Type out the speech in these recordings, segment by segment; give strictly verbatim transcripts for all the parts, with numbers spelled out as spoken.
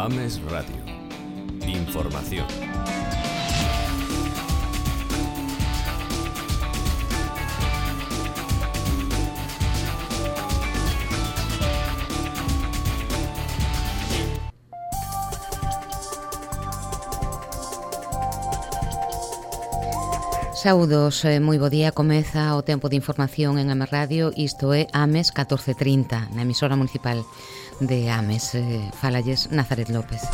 Ames Radio. Información. Saúdos, eh, moi bo día, comeza o tempo de información en Ames Radio, isto é Ames catorce trinta, na emisora municipal de Ames. Eh, Fálalles Nazaret López.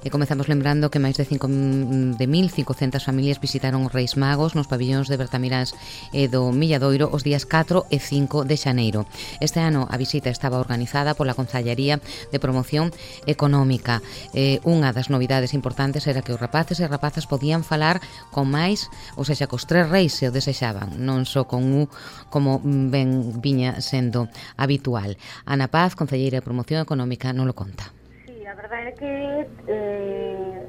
E comezamos lembrando que máis de cinco de mil cincocentas familias visitaron os Reis Magos nos pabillóns de Bertamiráns e do Milladoiro os días catro e cinco de xaneiro. Este ano a visita estaba organizada pola Concellaría de Promoción Económica. Eh, unha das novidades importantes era que os rapaces e rapazas podían falar con máis, ou seja, cos tres reis se o desexaban, non só con un como ben viña sendo habitual. Ana Paz, Concelleira de Promoción Económica, non lo conta. A verdade é que eh,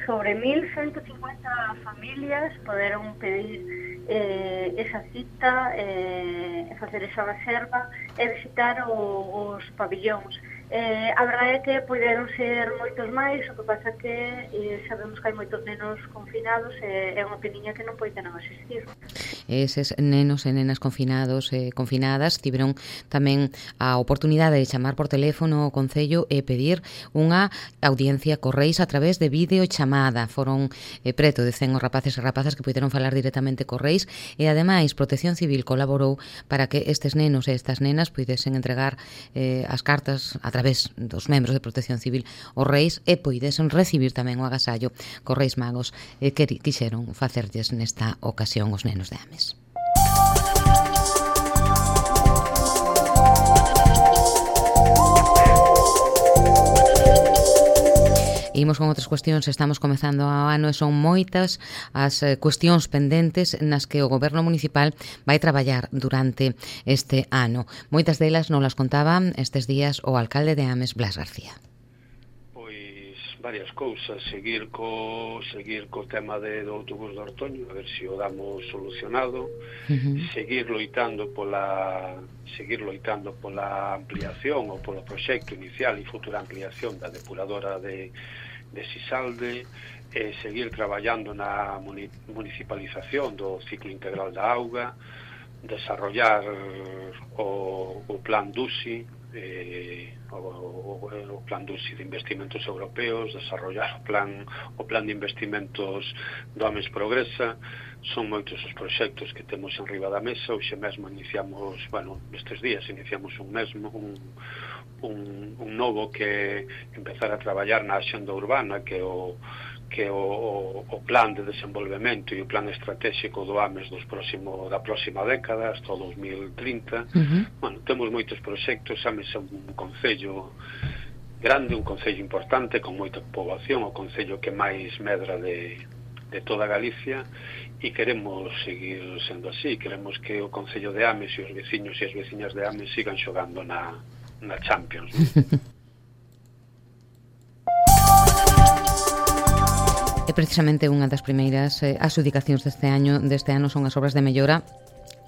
sobre mil ciento cincuenta familias poderon pedir eh, esa cita, eh, facer esa reserva e visitar o, os pabillóns. Eh, a verdade é que poderon ser moitos máis, o que pasa que eh, sabemos que hai moitos nenos confinados e é unha peniña que non poden asistir. Eses nenos e nenas confinados e confinadas tiveron tamén a oportunidade de chamar por teléfono ao Concello e pedir unha audiencia co Reis a través de videochamada. Foron eh, preto de cen os rapaces e rapazas que puderon falar directamente co Reis e ademais Protección Civil colaborou para que estes nenos e estas nenas puidesen entregar eh, as cartas a través dos membros de Protección Civil os Reis e poidesen recibir tamén o agasallo cos Reis Magos eh, que quixeron facerlles nesta ocasión os nenos de Ames. Imos con outras cuestións, estamos comezando o ano e son moitas as cuestións pendentes nas que o Goberno Municipal vai traballar durante este ano. Moitas delas non las contaba estes días o alcalde de Ames, Blas García. Pois varias cousas, seguir co seguir co tema de, do autobús de Ortoño, a ver se o damos solucionado, uh-huh. seguir loitando pola seguir loitando pola ampliación ou polo proxecto inicial e futura ampliación da depuradora de de Sisalde, eh, seguir traballando na municipalización do ciclo integral da auga, desarrollar o, o plan D U S I, eh, o, o, o plan D U S I de investimentos europeos, desarrollar o plan o plan de investimentos do Ames Progresa. Son moitos os proxectos que temos en riba da mesa. Hoxe mesmo iniciamos, bueno, estes días iniciamos un mesmo un Un, un novo que empezar a traballar na axenda urbana, que o que o, o, o plan de desenvolvemento e o plan estratégico do Ames dos próximo, da próxima década hasta o dos mil trinta. Uh-huh. Bueno, temos moitos proxectos. Ames é un concello grande, un concello importante con moita poboación, o concello que máis medra de, de toda Galicia, e queremos seguir sendo así. Queremos que o concello de Ames e os veciños e as veciñas de Ames sigan xogando na na Champions. E precisamente unha das primeiras eh, adxudicacións deste ano deste ano son as obras de mellora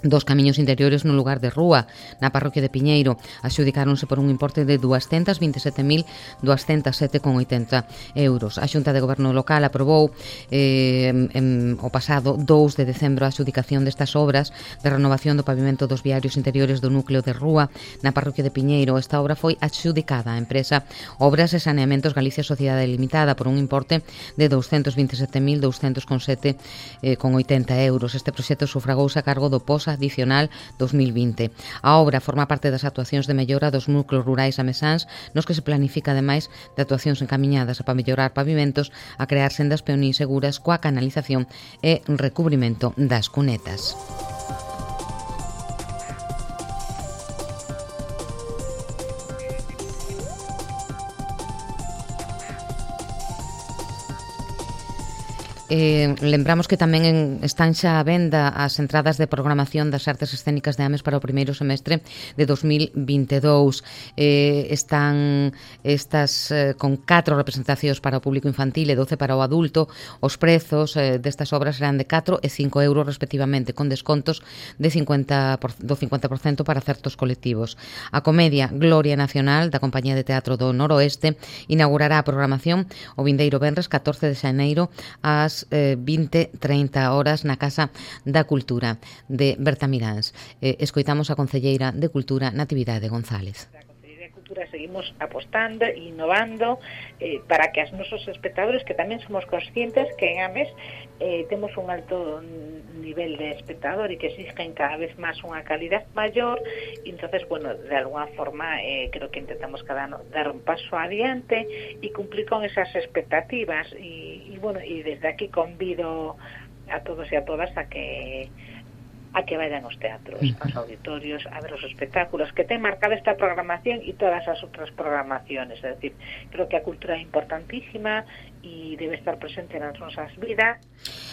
dos camiños interiores no lugar de Rúa, na parroquia de Piñeiro. Adxudicáronse por un importe de doscientos veinte e sete mil doscientos sete con oitenta euros. A Xunta de Goberno Local aprobou eh, en, o pasado dous de decembro a adxudicación destas obras de renovación do pavimento dos viarios interiores do núcleo de Rúa na parroquia de Piñeiro. Esta obra foi adxudicada á empresa Obras e Saneamentos Galicia Sociedade Limitada por un importe de doscientos veinte e sete mil doscientos sete con oitenta euros. Este proxecto sufragouse a cargo do POSA adicional dos mil vinte. A obra forma parte das actuacións de mellora dos núcleos rurais amesáns, nos que se planifica ademais de actuacións encamiñadas a para mellorar pavimentos, a crear sendas peonís seguras coa canalización e recubrimento das cunetas. Eh, lembramos que tamén en, están xa a venda as entradas de programación das artes escénicas de Ames para o primeiro semestre de dos mil vinte e dous. Eh, están estas eh, con catro representacións para o público infantil e doce para o adulto. Os prezos eh, destas obras serán de catro e cinco euros respectivamente, con descontos de cincuenta por, do cincuenta por cento para certos colectivos. A comedia Gloria Nacional da Compañía de Teatro do Noroeste inaugurará a programación o vindeiro venres catorce de xaneiro ás eh, vinte trinta horas na Casa da Cultura de Bertamiráns. Eh, escoitamos a concelleira de Cultura, Natividade González. Cultura seguimos apostando e innovando eh, para que os nosos espectadores, que tamén somos conscientes que en Ames eh, temos un alto nivel de espectador e que exigen cada vez máis unha calidad maior, e entonces, bueno, de alguna forma eh, creo que intentamos cada ano dar un paso adiante e cumplir con esas expectativas e, e bueno, e desde aquí convido a todos e a todas a que a que vayan aos teatros, aos auditorios, a ver os espectáculos que ten marcada esta programación e todas as outras programaciones. É dicir, creo que a cultura é importantísima e debe estar presente nas nosas vidas.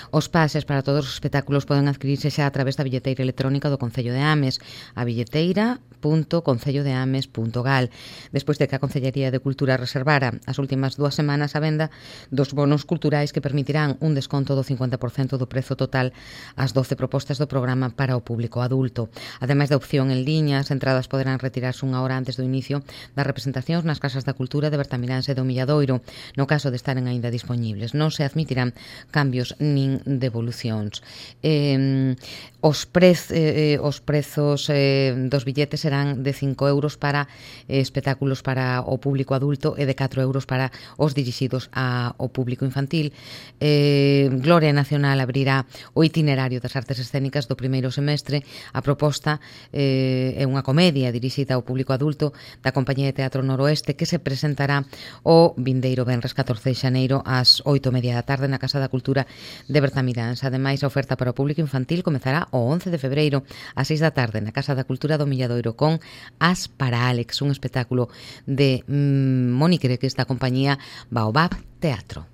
Os pases para todos os espectáculos poden adquirirse xa a través da billeteira electrónica do Concello de Ames, a billeteira punto concello de ames punto gal. Despois de que a Concellería de Cultura reservara as últimas dúas semanas a venda dos bonos culturais que permitirán un desconto do cincuenta por cento do prezo total ás doce propostas do programa para o público adulto. Ademais da opción en liña, as entradas poderán retirarse unha hora antes do inicio das representacións nas Casas da Cultura de Bertamiráns e do Milladoiro, no caso de estaren aínda disponibles. Non se admitirán cambios nin devolucións. Eh, os, prez, eh, os prezos eh, dos billetes serán de cinco euros para eh, espectáculos para o público adulto e de catro euros para os dirixidos ao público infantil. Eh, Gloria Nacional abrirá o itinerario das artes escénicas do primeiro semestre. A proposta eh, é unha comedia dirixida ao público adulto da Compañía de Teatro Noroeste que se presentará o vindeiro venres catorce de xaneiro ás oito e media da tarde na Casa da Cultura de Bertamiráns. Ademais, a oferta para o público infantil comezará o once de febreiro ás seis da tarde na Casa da Cultura do Milladoiro con As para Alex, un espectáculo de mmm, Mónica que esta compañía Baobab Teatro.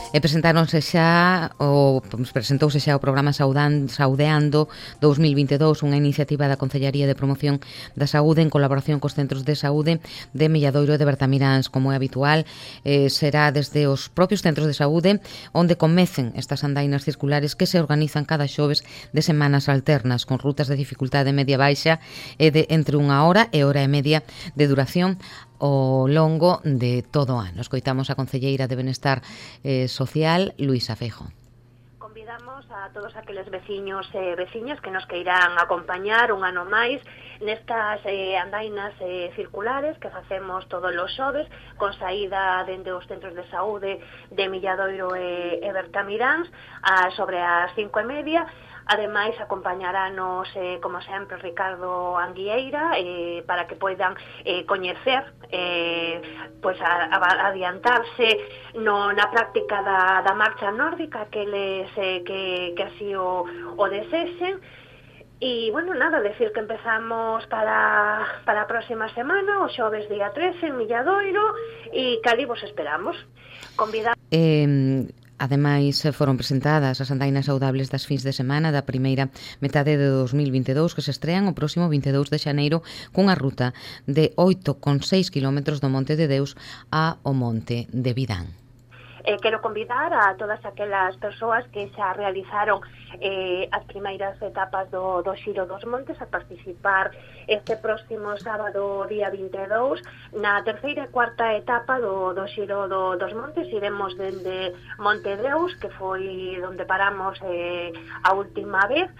E presentáronse xa o presentouse xa o programa Saudan, Saudeando dous mil vinte e dous, unha iniciativa da Concellaría de Promoción da Saúde en colaboración cos centros de saúde de Milladoiro e de Bertamiráns. Como é habitual, eh, será desde os propios centros de saúde onde comecen estas andainas circulares que se organizan cada xoves de semanas alternas con rutas de dificultade media-baixa e de entre unha hora e hora e media de duración ao longo de todo o ano. Escoitamos a concelleira de Benestar eh, Social, Luisa Feijóo. Convidamos a todos aqueles veciños e veciñas que nos queiran acompañar un ano máis nestas eh, andainas eh, circulares que facemos todos os xoves con saída dende os centros de saúde de Milladoiro e, e Bertamiráns a, sobre as cinco e media. Ademais, acompañaranos, eh, como sempre, Ricardo Anguieira eh, para que poidan eh, coñecer, eh, pois a, a, adiantarse no, na práctica da, da marcha nórdica que les eh, que, que así o, o desexen. E, bueno, nada, decir que empezamos para, para a próxima semana, o xoves día trece, en Milladoiro, e cali vos esperamos. Convidamos... Eh... Ademais, foron presentadas as andainas saudables das fins de semana da primeira metade de dos mil vinte e dous que se estrean o próximo vinte e dous de xaneiro cunha ruta de oito coma seis kilómetros do Monte de Deus ao Monte de Vidán. Eh, quero convidar a todas aquelas persoas que xa realizaron eh, as primeiras etapas do, do Xiro dos Montes a participar este próximo sábado día vinte e dous na terceira e cuarta etapa do, do Xiro do, dos Montes. Iremos dende Monte Deus, que foi onde paramos eh, a última vez,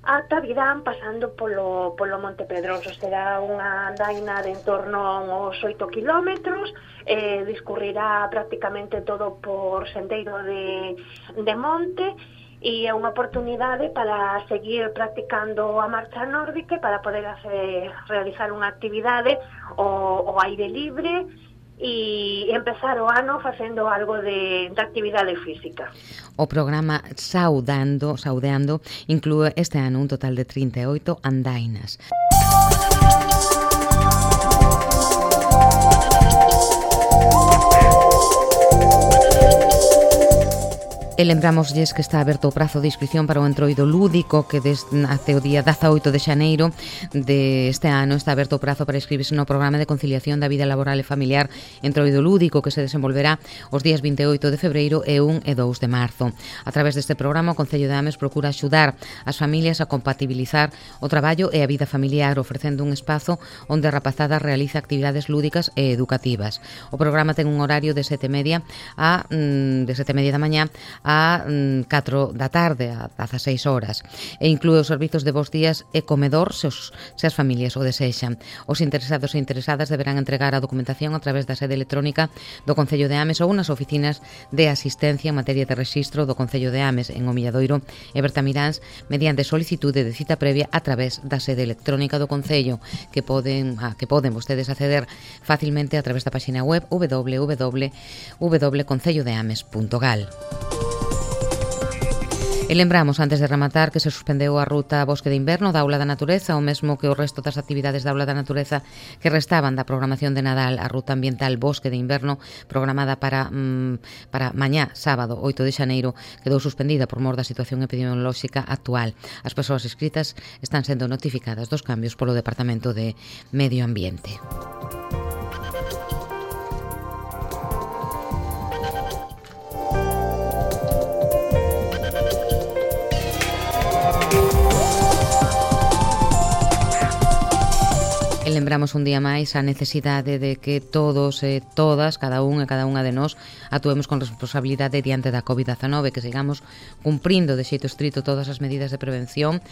ata Vidán, pasando polo, polo Monte Pedroso. Será unha andaina de en torno a uns oito kilómetros, eh, discurrirá prácticamente todo por sendeiro de, de monte, e é unha oportunidade para seguir practicando a marcha nórdica, para poder hacer, realizar unha actividade ao, ao aire libre, e empezar o ano facendo algo de, de actividade física. O programa Saudando, Saudeando inclúe este ano un total de trinta e oito andainas. E lembramoslles que está aberto o prazo de inscripción para o entroido lúdico que desde até o día dezaoito de xaneiro deste ano está aberto o prazo para inscribirse no programa de conciliación da vida laboral e familiar entroido lúdico que se desenvolverá os días vinte e oito de febreiro e un e dous de marzo. A través deste programa o Concello de Ames procura axudar as familias a compatibilizar o traballo e a vida familiar ofrecendo un espazo onde a rapazada realiza actividades lúdicas e educativas. O programa ten un horario de sete e media a de sete e media da mañá a catro da tarde, a dezasseis horas, e inclúe os servizos de bos días e comedor se, os, se as familias o desexan. Os interesados e interesadas deberán entregar a documentación a través da sede electrónica do Concello de Ames ou nas oficinas de asistencia en materia de rexistro do Concello de Ames en O Milladoiro e Bertamiráns mediante solicitude de cita previa a través da sede electrónica do Concello que poden, a, que poden vostedes acceder facilmente a través da página web w w w punto concello de ames punto gal. E lembramos, antes de rematar, que se suspendeu a ruta Bosque de Inverno da Aula da Natureza, o mesmo que o resto das actividades da Aula da Natureza que restaban da programación de Nadal. A ruta ambiental Bosque de Inverno, programada para mmm, para mañá, sábado, oito de xaneiro, quedou suspendida por mor da situación epidemiolóxica actual. As persoas inscritas están sendo notificadas dos cambios polo Departamento de Medio Ambiente. E lembramos un día máis a necesidade de que todos e todas, cada un e cada unha de nós, actuemos con responsabilidade diante da covid dezanove, que sigamos cumprindo de xeito estrito todas as medidas de prevención,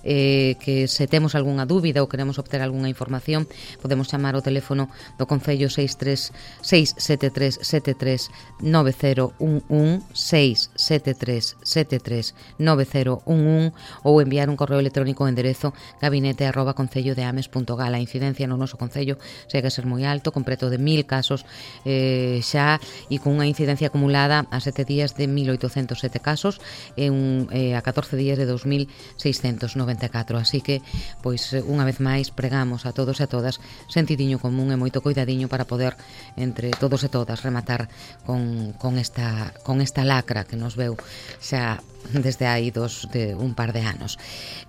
eh, que se temos algunha dúbida ou queremos obter algunha información, podemos chamar ao teléfono do Concello seis tres seis sete tres sete tres nove cero un un, seis sete tres sete tres nove cero un un, ou enviar un correo electrónico ao enderezo gabinete arroba concello de ames punto gal. A incidencia no noso Concello segue a ser moi alto, con preto de mil casos eh, xa, e con unha incidencia acumulada a sete días de mil oitocentos sete casos e un, eh, a catorce días de dos mil seiscentos noventa e catro. Así que, pois, unha vez máis, pregamos a todos e a todas sentidiño común e moito coidadiño para poder, entre todos e todas, rematar con, con, esta, con esta lacra que nos veu xa desde hai dos de un par de anos.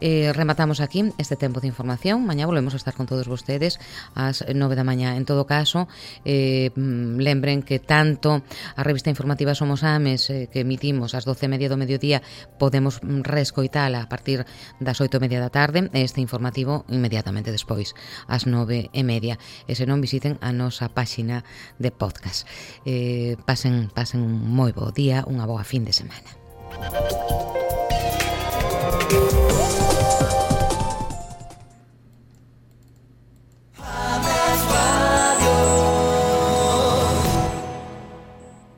Eh, rematamos aquí este tempo de información. Mañá volvemos a estar con todos vostedes ás nove da mañá. En todo caso, eh, lembren que tanto a revista informativa Somos Ames, eh, que emitimos ás doce e media do mediodía, podemos reescoitala a partir das oito e media da tarde, e este informativo inmediatamente despois, ás nove e media. E se non, visiten a nosa páxina de podcast. Eh, pasen, pasen un moi bo día, unha boa fin de semana. Thank you.